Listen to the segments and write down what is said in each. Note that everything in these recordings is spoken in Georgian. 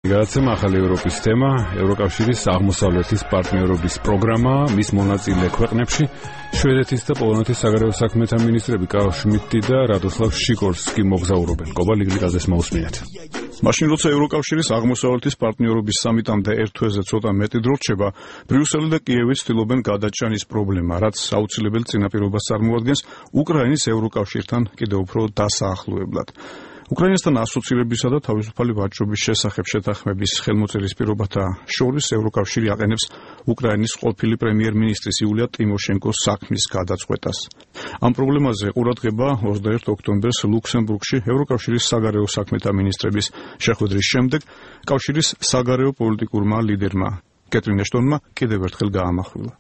გადაცემა ახალი ევროპის თემა, ევროკავშირის აღმოსავლეთის პარტნიორობის პროგრამა, მის მონაწილე ქვეყნებში შვედეთის და პოლონეთის საგარეო საქმეთა მინისტრები კარლ შმიდტი და რადოსლავ შიკორსკი მოგზაურობენ. კობალიგრიკაზეს მოусმინეთ. მაშინ როცა ევროკავშირის აღმოსავლეთის პარტნიორობის სამიტამდე ერთ თვეზე ცოტა მეტი დრო რჩება, ბრიუსელი და კიევი ცდილობენ გადაჭანის პრობლემა, რაც აუცილებელი წინაპირობას წარმოადგენს უკრაინის ევროკავშირთან კიდევ უფრო დასაახლოებლად. უკრაინასთან ასოცირებისა და თავისუფალი ვაჭრობის შესახებ შეთანხმების ხელმოწერის პირობათა შორის ევროკავშირი აყენებს უკრაინის ყოფილი პრემიერ-მინისტრის იულია ტიმოშენკოს საქმის გადაწყვეტას. ამ პრობლემაზე ყურადღება 21 ოქტომბერს ლუქსემბურგში ევროკავშირის საგარეო საქმეთა მინისტრების შეხვედრის შემდეგ კავშირის საგარეო პოლიტიკურმა ლიდერმა კეტრინ ეშტონმა კიდევ ერთხელ გაამახვილა.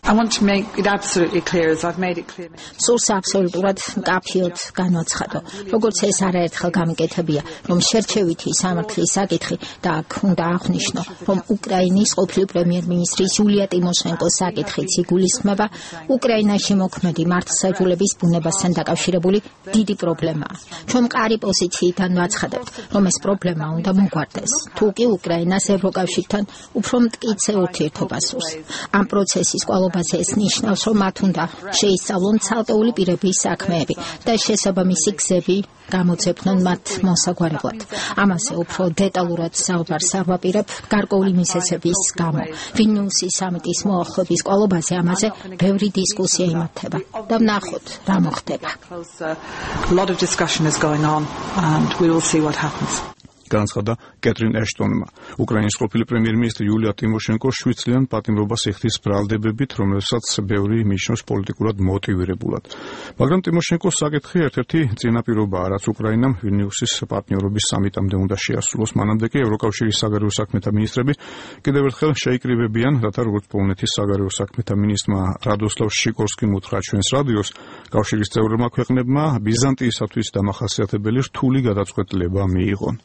I want to make it absolutely clear, as I've made it clear. სურს აბსოლუტურად მკაფიოდ განვაცხადო, როგორც ეს არაერთხელ გამიკეთებია, რომ შერჩევითი სამართლის საკითხი და აქ უნდა აღვნიშნო, რომ უკრაინის ყოფილი პრემიერ-მინისტრის იულია ტიმოშენკოს საკითხიც იგულისხმება უკრაინაში მოქმედი მართლმსაჯულების ბუნებასთან დაკავშირებული დიდი პრობლემაა. ჩვენ მყარი პოზიციიდან ვაცხადებთ, რომ ეს პრობლემა უნდა მოგვარდეს, თუ კი უკრაინას ევროკავშირთან უფრო მტკიცე ურთიერთობა სურს. ამ პროცესის ეს ნიშნავს, რომ მათ უნდა შეისწავლონ ცალკეული პირების საქმეები და შესაბამისი გზები გამოძებნონ მათ მოსაგვარებლად. ამაზე უფრო დეტალურად საუბარს ავაპირებ გარკვეული მიზეზების გამო. ვილნიუსის სამიტის მოახლოების კვალობაზე ამაზე ბევრი დისკუსია იმართება და ვნახოთ რა მოხდება. განცხადა კეტრინ ეშტონმა. უკრაინის ყოფილი პრემიერ-მინისტრი იულია ტიმოშენკო 7 წლიან პატიმრობას იხდის ბრალდებებით, რომელსაც ბევრი მიიჩნევს პოლიტიკურად მოტივირებულად. მაგრამ ტიმოშენკოს საკითხი ერთ-ერთი წინაპირობაა, რაც უკრაინამ ვილნიუსის პარტნიორობის სამიტამდე უნდა შეასრულოს. მანამდე კი ევროკავშირის საგარეო საქმეთა მინისტრები კიდევ ერთხელ შეიკრიბებიან, რათა როგორც პოლონეთის საგარეო საქმეთა მინისტრმა რადოსლავ შიკორსკიმ უთხრა ჩვენს რადიოს, კავშირის წევრებმა ქვეყნებმა ბიზანტიისათვის დამახასიათებელი რთული გადაწყვეტილება მიიღონ.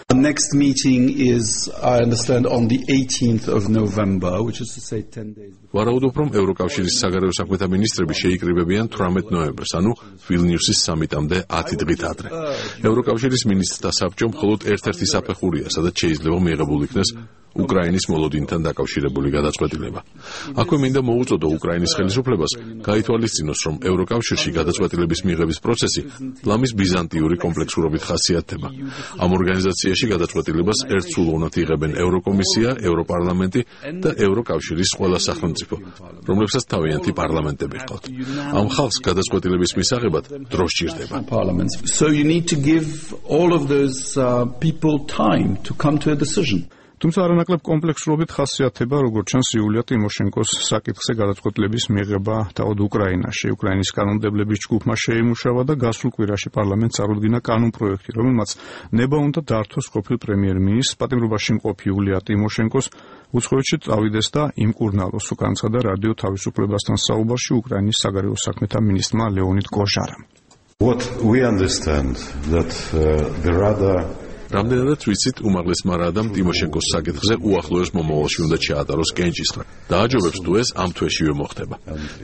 The next meeting is, I understand, on the 18th of November, which is to say 10 days before. ვარაუდობ, რომ ევროკავშირის საგარეო საქმეთა მინისტრები შეიკრიბებიან 18 ნოემბერს, ანუ ვილნიუსის სამიტამდე 10 დღით ადრე. ევროკავშირის მინისტრთა საბჭომ მხოლოდ ერთ-ერთი საფეხურია, სადაც შეიძლება მიიღებულ იქნეს უკრაინის მოლოდინთან დაკავშირებული გადაწყვეტილება. აქვე მინდა მოუწოდო უკრაინის ხელისუფლებას გაითვალისწინოს, რომ ევროკავშირში გადაწყვეტილების მიღების პროცესი ლამის ბიზანტიური კომპლექსურობით ხასიათდება. ამ ორგანიზაციაში გადაწყვეტილებას ერთსულოვნად იღებენ ევროკომისია, ევროპარლამენტი და ევროკავშირის ყველა სახელმწიფო, რომლებსაც თავიანთი პარლამენტები ჰყავთ. ამ ხალხს გადაწყვეტილების მისაღებად დრო სჭირდება. So you need to give all of those people time to come to a decision. თუმცა არანაკლებ კომპლექსურობით ხასიათდება, როგორც ჩანს იულია ტიმოშენკოს საკითხზე გადაწყვეტილების მიღება თავად უკრაინაში. უკრაინის კანონმდებლების ჯგუფმა შეიმუშავა და გასულ კვირაში პარლამენტს წარუდგინა კანონპროექტი, რომელმაც ნება უნდა დართოს ყოფილ პრემიერ-მინისტრს პატიმრობაში მყოფი იულია ტიმოშენკოს უცხოეთში წავიდეს და იმკურნალოს, განცხადა რადიო თავისუფლებასთან საუბარში უკრაინის საგარეო საქმეთა მინისტრმა ლეონიდ გოჟარამ. What we understand that the Rada რამდენადაც ვიცით, უმაღლესმა რადამ ტიმოშენკოს საკითხზე უახლოეს მომავალში უნდა ჩაატაროს კენჭისყრა. დააჯობებს თუ ეს ამ თვეშივე მოხდება.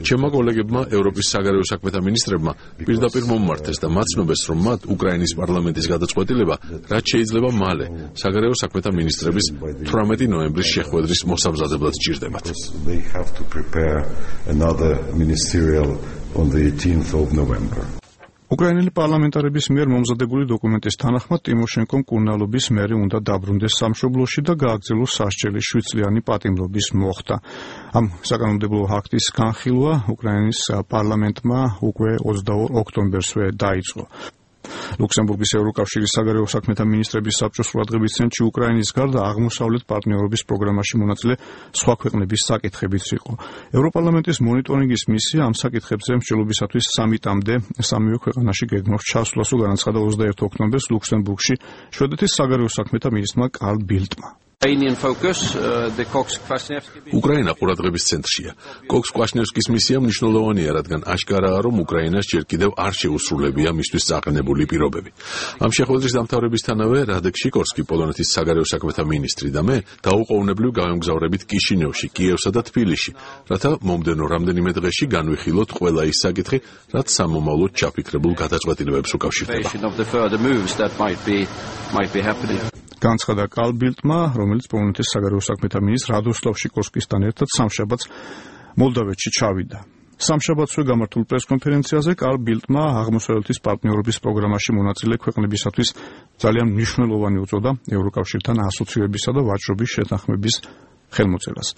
ჩემმა კოლეგებმა ევროპის საგარეო საქმეთა მინისტრებმა პირდაპირ მომმართეს და მაცნობეს, რომ მათ უკრაინის პარლამენტის გადაწყვეტილება, რაც შეიძლება მალე საგარეო საქმეთა მინისტრების 18 ნოემბრის შეხვედრის მოსამზადებლად სჭირდებათ. they have to prepare another ministerial on the 18th of November. უკრაინელი პარლამენტარების მიერ მომზადებული დოკუმენტის თანახმად ტიმოშენკომ მკურნალობის მერე უნდა დაბრუნდეს სამშობლოში და გააგრძელოს სასჯელი 7 წლიანი პატიმრობის მოხდა. ამ საკანონმდებლო აქტის განხილვა უკრაინის პარლამენტმა უკვე 22 ოქტომბერსვე დაიწყო. ლუქსემბურგის ევროკავშირის საგარეო საქმეთა მინისტრების საბჭოს ყურადღების ცენტრში უკრაინის გარდა აღმოსავლეთ პარტნიორობის პროგრამაში მონაწილე სხვა ქვეყნების საკითხებიც იყო. ევროპარლამენტის მონიტორინგის მისია ამ საკითხებზე მსჯელობისათვის სამიტამდე სამივე ქვეყანაში გეგმავს ჩასვლას, განაცხადა 21 ოქტომბერს ლუქსემბურგში შვედეთის საგარეო საქმეთა მინისტრმა კარლ ბილტმა. უკრაინა ყურადღების ცენტრშია. კოქს-კვაშნევსკის მისია მნიშვნელოვანია, რადგან აშკარაა, რომ უკრაინას ჯერ კიდევ არ შეუსრულებია მისთვის წაყენებული პირობები. ამ შეხვედრის დამთავრებისთანავე რადეკ შიკორსკი, პოლონეთის საგარეო საქმეთა მინისტრი და მე დაუყოვნებლივ გავემგზავრებით კიშინევში, კიევსა და თბილისში, რათა მომდენო რამდენიმე დღეში განვიხილოთ ყველა ის საკითხი, რაც სამომავლოდ ჩაფიქრებულ გადაწყვეტილებებს უკავშირდება. განცხადა კარლ ბილდმა, რომელიც პოლონეთის საგარეო საქმეთა მინისტრ რადოსლავ შიკორსკისთან ერთად სამშაბათს მოლდავეთში ჩავიდა. სამშაბათსვე გამართულ პრესკონფერენციაზე კარლ ბილდმა აღმოსავლეთის პარტნიორობის პროგრამაში მონაწილე ქვეყნებისათვის ძალიან მნიშვნელოვანი უწოდა ევროკავშირთან ასოცირებისა და ვაჭრობის შეთანხმების ხელმოწერას.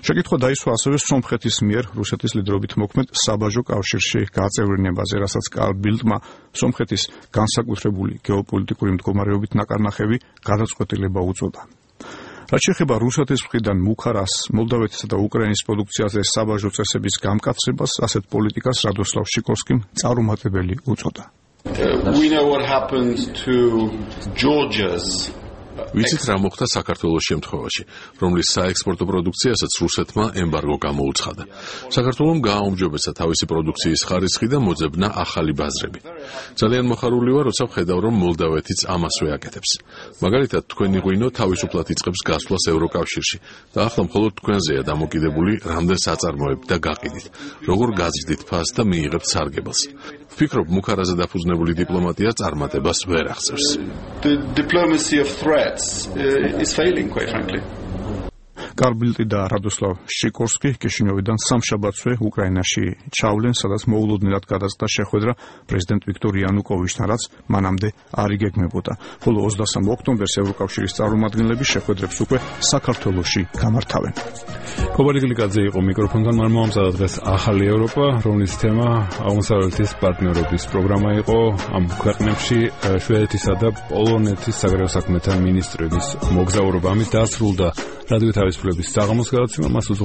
შეკითხვა დაისვა ასევე სომხეთის მიერ რუსეთის ლიდერობით მოქმედ საბაჟო კავშირში გაწევრიანებაზე, რასაც კარლ ბილდმა სომხეთის განსაკუთრებული გეოპოლიტიკური მდგომარეობით ნაკარნახევი გადაწყვეტილება უწოდა. რაც შეეხება რუსეთის მხრიდან მუხარას, მოლდავეთისა და უკრაინის პროდუქციაზე საბაჟო წესების გამკაცებას, ასეთ პოლიტიკას რადოსლავ შიკორსკიმ წარუმატებელი უწოდა. We know what happened to Georgia's ვიცით რა მოხდა საქართველოს შემთხვევაში, რომლის საექსპორტო პროდუქციასაც რუსეთმა ემბარგო გამოუცხადა. საქართველომ გააუმჯობესა თავისი პროდუქციის ხარისხი და მოძებნა ახალი ბაზრები. ძალიან მოხარული ვარ, როცა ვხედავ, რომ მოლდავეთიც ამასვე აკეთებს. მაგალითად, თქვენი ღვინო თავისუფლად იწყებს გასვლას ევროკავშირში და ახლა მხოლოდ თქვენზეა დამოკიდებული, რამდენ საწარმოებთ და გაყიდით, როგორ გაზრდით ფასს და მიიღებთ სარგებელს. ვფიქრობ, მუხარაზე დაფუძნებული დიპლომატია წარმატებას ვერ აღწევს. The diplomacy of threats is failing, quite frankly. კარლ ბილდი და რადოსლავ შიკორსკი კიშინიოვიდან სამშაბათსვე უკრაინაში ჩავლენ, სადაც მოულოდნელად გადაწყდა შეხვედრა პრეზიდენტ ვიქტორ იანუკოვიჩთან, რაც მანამდე არ იგეგმებოდა. ხოლო 23 ოქტომბერს ევროკავშირის წარმომადგენლები შეხვედრებს უკვე საქართველოში გამართავენ. კობალი გლიკაძე იყო მიკროფონთან, მან მოამზადა დღეს ახალი ევროპა, რომლის თემა აღმოსავლეთის პარტნიორობის პროგრამა იყო. ამ ქვეყნებში შვედეთისა და პოლონეთის საგარეო საქმეთა მინისტრების მოგზაურობა. ამით დასრულდა რადიო თავისუფლების საღამოს გადაცემა. მას